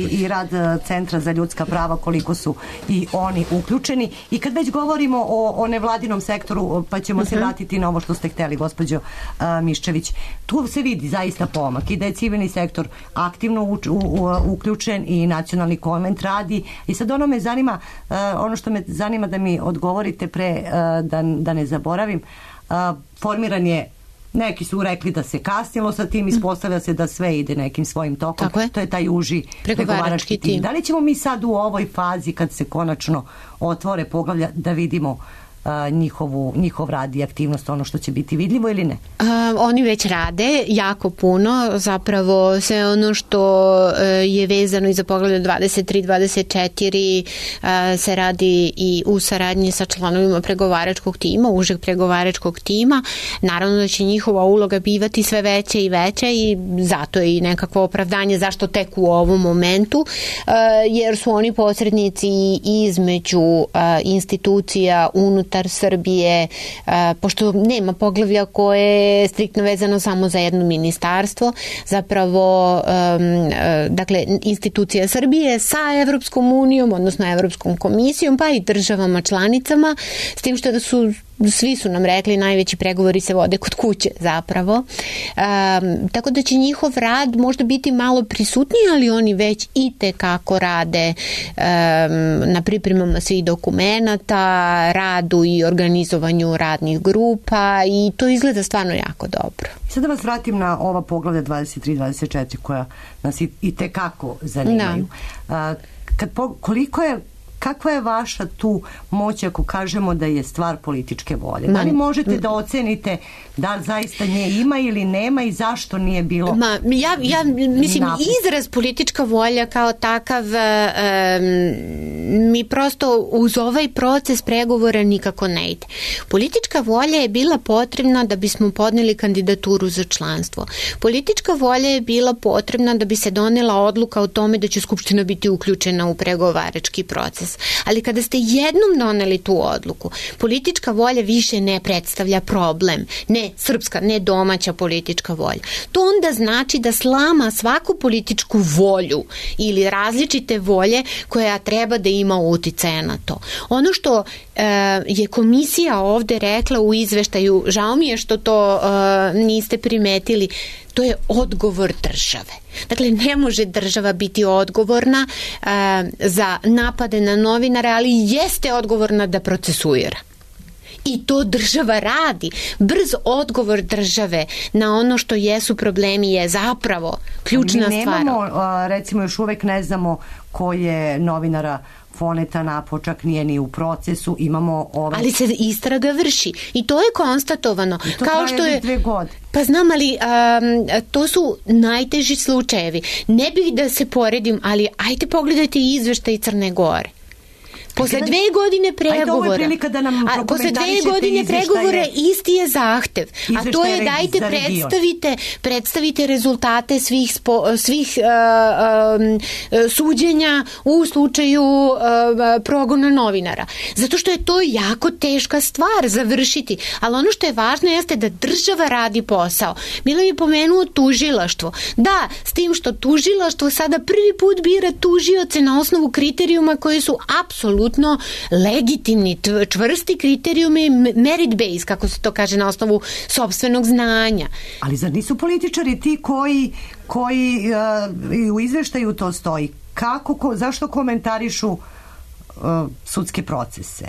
i rad Centra za ljudska prava, koliko su i oni uključeni. I kad već govorimo o nevladinom sektoru, pa ćemo se vratiti na ovo što ste hteli, gospođo Miščević. Tu se vidi zaista pomak i da je civilni sektor aktivno uključen i nacionalni konvent radi. I sad ono što me zanima da mi odgovorite pre da ne zaboravim, formiran je, neki su rekli da se kasnilo sa tim, ispostavlja se da sve ide nekim svojim tokom. To je taj uži pregovarački tim. Da li ćemo mi sad u ovoj fazi, kad se konačno otvore poglavlja, da vidimo njihov rad i aktivnost, ono što će biti vidljivo ili ne? Oni već rade jako puno, zapravo sve ono što je vezano i za poglavlje 23-24 se radi i u saradnji sa članovima pregovaračkog tima, užeg pregovaračkog tima. Naravno da će njihova uloga bivati sve veća i veća i zato je i nekakvo opravdanje zašto tek u ovom momentu, jer su oni posrednici između institucija unutar unutar Srbije, pošto nema poglavlja koje je striktno vezano samo za jedno ministarstvo, zapravo dakle institucija Srbije sa Evropskom unijom, odnosno Evropskom komisijom, pa i državama članicama, s tim što svi su nam rekli najveći pregovori se vode kod kuće zapravo. Tako da će njihov rad možda biti malo prisutniji, ali oni već i tekako rade na pripremama svih dokumenata, radu i organizovanju radnih grupa i to izgleda stvarno jako dobro. Sad da vas vratim na ova poglavlja 23-24 koja nas i tekako zanimaju. Kakva je vaša tu moć ako kažemo da je stvar političke volje? Da li možete da ocenite da zaista nje ima ili nema i zašto nije bilo? Ja mislim, izraz politička volja kao takav mi prosto uz ovaj proces pregovora nikako ne ide. Politička volja je bila potrebna da bismo podneli kandidaturu za članstvo. Politička volja je bila potrebna da bi se donela odluka o tome da će Skupština biti uključena u pregovarački proces. Ali kada ste jednom doneli tu odluku, politička volja više ne predstavlja problem. Ne srpska, ne domaća politička volja. To onda znači da slama svaku političku volju ili različite volje koja treba da ima uticaja na to. Ono što je komisija ovde rekla u izveštaju, žao mi je što to niste primetili, to je odgovor države. Dakle, ne može država biti odgovorna za napade na novinare, ali jeste odgovorna da procesuira. I to država radi. Brz odgovor države na ono što jesu problemi je zapravo ključna stvar. Mi nemamo, recimo još uvek ne znamo ko je novinara Foneta Napočak, nije ni u procesu, imamo ali se istraga vrši i to je konstatovano. I to kao što je 2 godine. Pa znam, ali to su najteži slučajevi. Ne bih da se poredim, ali ajte pogledajte izveštaj Crne Gore. Posle 2 godine pregovora, posle 2 godine pregovora isti je zahtev, a to je dajte predstavite rezultate svih suđenja u slučaju progona novinara. Zato što je to jako teška stvar završiti, ali ono što je važno jeste da država radi posao. Milo je pomenuo tužilaštvo. Da, s tim što tužilaštvo sada prvi put bira tužioce na osnovu kriterijuma koji su apsolutno legitimni, čvrsti kriterijumi, merit base, kako se to kaže, na osnovu sopstvenog znanja. Ali zar nisu političari ti koji u izveštaju to stoji? Zašto komentarišu sudske procese?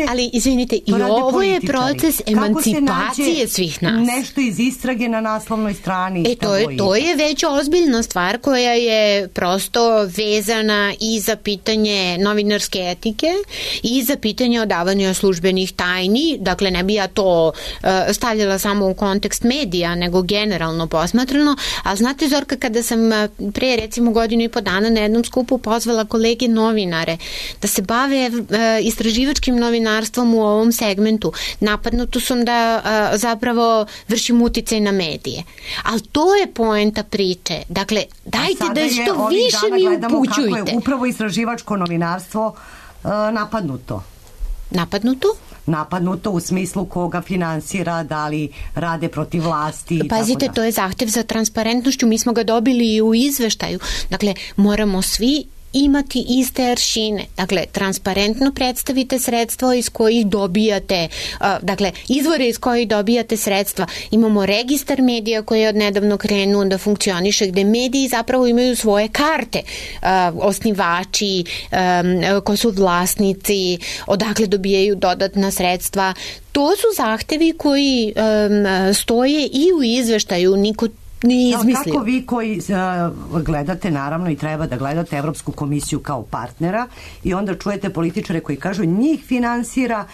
Ali izvinite, i ovo je proces emancipacije svih nas. Nešto iz istrage na naslovnoj strani. To je već ozbiljna stvar koja je prosto vezana i za pitanje novinarske etike i za pitanje odavanja službenih tajni. Dakle, ne bi ja to stavljala samo u kontekst medija, nego generalno posmatrano. Ali znate, Zorka, kada sam pre recimo 1.5 godina na jednom skupu pozvala kolege novinare da se bave istraživačkim novinarstvom u ovom segmentu, napadnuto sam da zapravo vršim uticaj na medije. Ali to je poenta priče. Dakle, dajte da što više mi upućujte. Kako je upravo istraživačko novinarstvo napadnuto. Napadnuto u smislu koga finansira, da li rade protiv vlasti. Pazite, to je zahtev za transparentnošću. Mi smo ga dobili i u izveštaju. Dakle, moramo svi imati iste aršine. Dakle, transparentno predstavite sredstva iz kojih dobijate, dakle, izvore iz kojih dobijate sredstva. Imamo registar medija koji je odnedavno krenuo da funkcioniše, gde mediji zapravo imaju svoje karte. Osnivači, ko su vlasnici, odakle dobijaju dodatna sredstva. To su zahtevi koji stoje i u izveštaju. Niko nije izmislio. Kako vi koji gledate, naravno i treba da gledate Evropsku komisiju kao partnera i onda čujete političare koji kažu njih finansira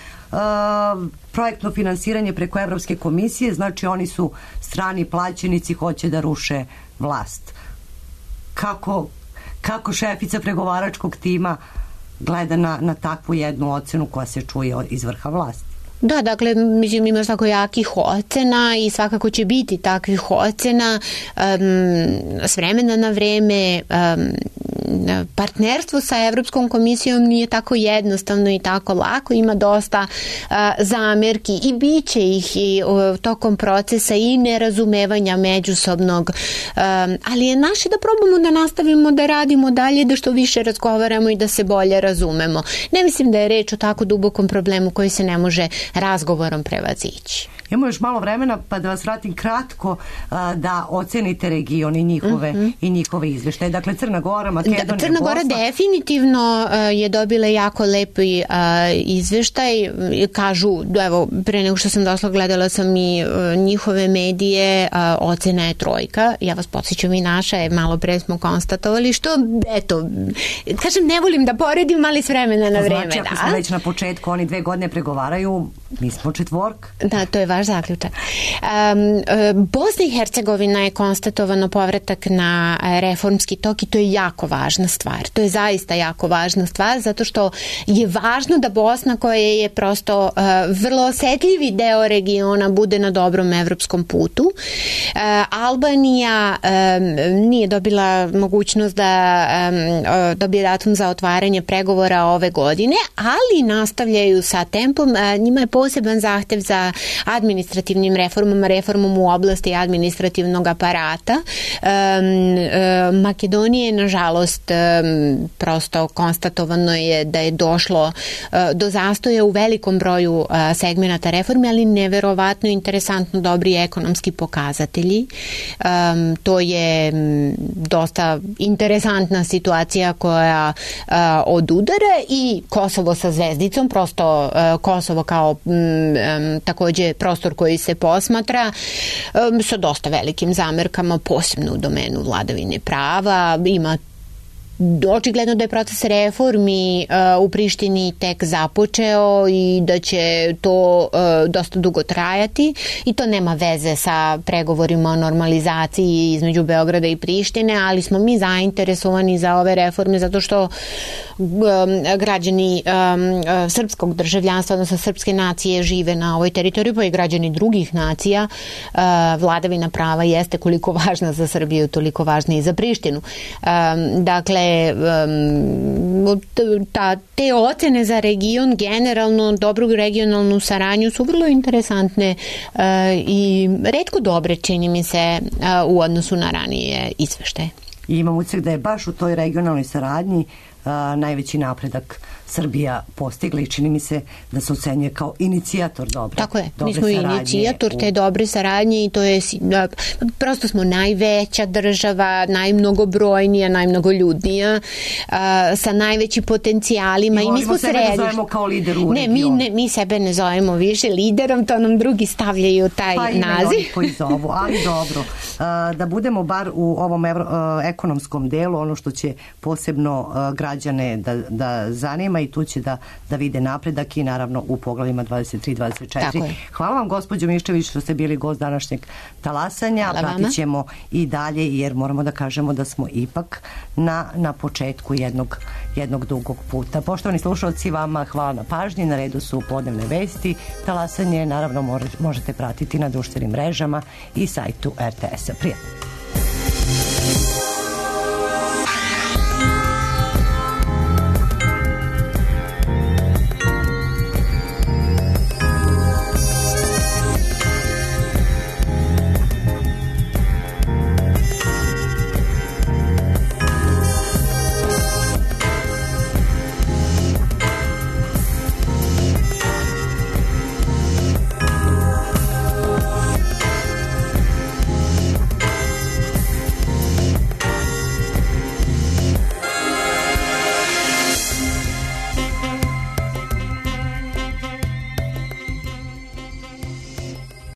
projektno finansiranje preko Evropske komisije, znači oni su strani plaćenici, hoće da ruše vlast. Kako šefica pregovaračkog tima gleda na takvu jednu ocenu koja se čuje iz vrha vlasti? Da, dakle, mislim, imaš tako jakih ocena i svakako će biti takvih ocena s vremena na vreme. partnerstvo sa Evropskom komisijom nije tako jednostavno i tako lako, ima dosta zamerki i bit će ih i tokom procesa i nerazumevanja međusobnog, ali je naše da probamo da nastavimo da radimo dalje, da što više razgovaramo i da se bolje razumemo. Ne mislim da je reč o tako dubokom problemu koji se ne može razgovorom prevazići. Imamo još malo vremena, pa da vas vratim kratko da ocenite region i njihove izveštaje. Dakle, Crna Gora, Makedonija, Crna Gora definitivno je dobila jako lepi izveštaj. Kažu, evo, pre nego što sam došla, gledala sam i njihove medije, ocena je 3. Ja vas podsjećam i naša je, malo pre smo konstatovali, što, eto, kažem, ne volim da poredim, ali s vremena na vreme. Znači, ako smo već na početku, oni 2 godine pregovaraju, mi smo 4. Da, to je vaš zaključak. Bosna i Hercegovina je konstatovano povratak na reformski tok i to je jako važna stvar. To je zaista jako važna stvar zato što je važno da Bosna, koja je prosto vrlo osetljivi deo regiona, bude na dobrom evropskom putu. Albanija nije dobila mogućnost da dobije datum za otvaranje pregovora ove godine, ali nastavljaju sa tempom. Njima je poseban zahtev za administrativnim reformom u oblasti administrativnog aparata. Makedonije, nažalost, prosto konstatovano je da je došlo do zastoja u velikom broju segmenata reforme, ali neverovatno interesantno dobri ekonomski pokazatelji. To je dosta interesantna situacija koja odudara i Kosovo sa zvezdicom, prosto Kosovo kao takođe prostor koji se posmatra sa dosta velikim zamerkama, posebno u domenu vladavine prava. Ima očigledno da je proces reformi u Prištini tek započeo i da će to dosta dugo trajati i to nema veze sa pregovorima o normalizaciji između Beograda i Prištine, ali smo mi zainteresovani za ove reforme zato što građani srpskog državljanstva, odnosno srpske nacije žive na ovoj teritoriji, pa i građani drugih nacija. Vladavina prava jeste koliko važna za Srbiju, toliko važna i za Prištinu. Dakle, te ocene za region, generalno dobru regionalnu saradnju su vrlo interesantne i retko dobre, čini mi se, u odnosu na ranije izveštaje. I imam utisak da je baš u toj regionalnoj saradnji najveći napredak Srbija postigla i čini mi se da se ocenjuje kao inicijator dobre. Tako je, mi smo inicijator te dobre saradnje i to je, prosto smo najveća država, najmnogobrojnija, najmnogoljudnija, sa najvećim potencijalima i mi smo središte. Sebe ne zovemo kao lider u regionu. Mi sebe ne zovemo više liderom, to nam drugi stavljaju taj naziv. Pa ima koji zovu, ali dobro. Da budemo bar u ovom ekonomskom delu, ono što će posebno građane da zanima i tu će da vide napredak i naravno u poglavljima 23-24. Hvala vam, gospođo Miščević, što ste bili gost današnjeg talasanja. Pratit ćemo i dalje jer moramo da kažemo da smo ipak na početku jednog dugog puta. Poštovani slušalci, vama hvala na pažnji. Na redu su podnevne vesti. Talasanje naravno možete pratiti na društvenim mrežama i sajtu RTS-a. Prijatno.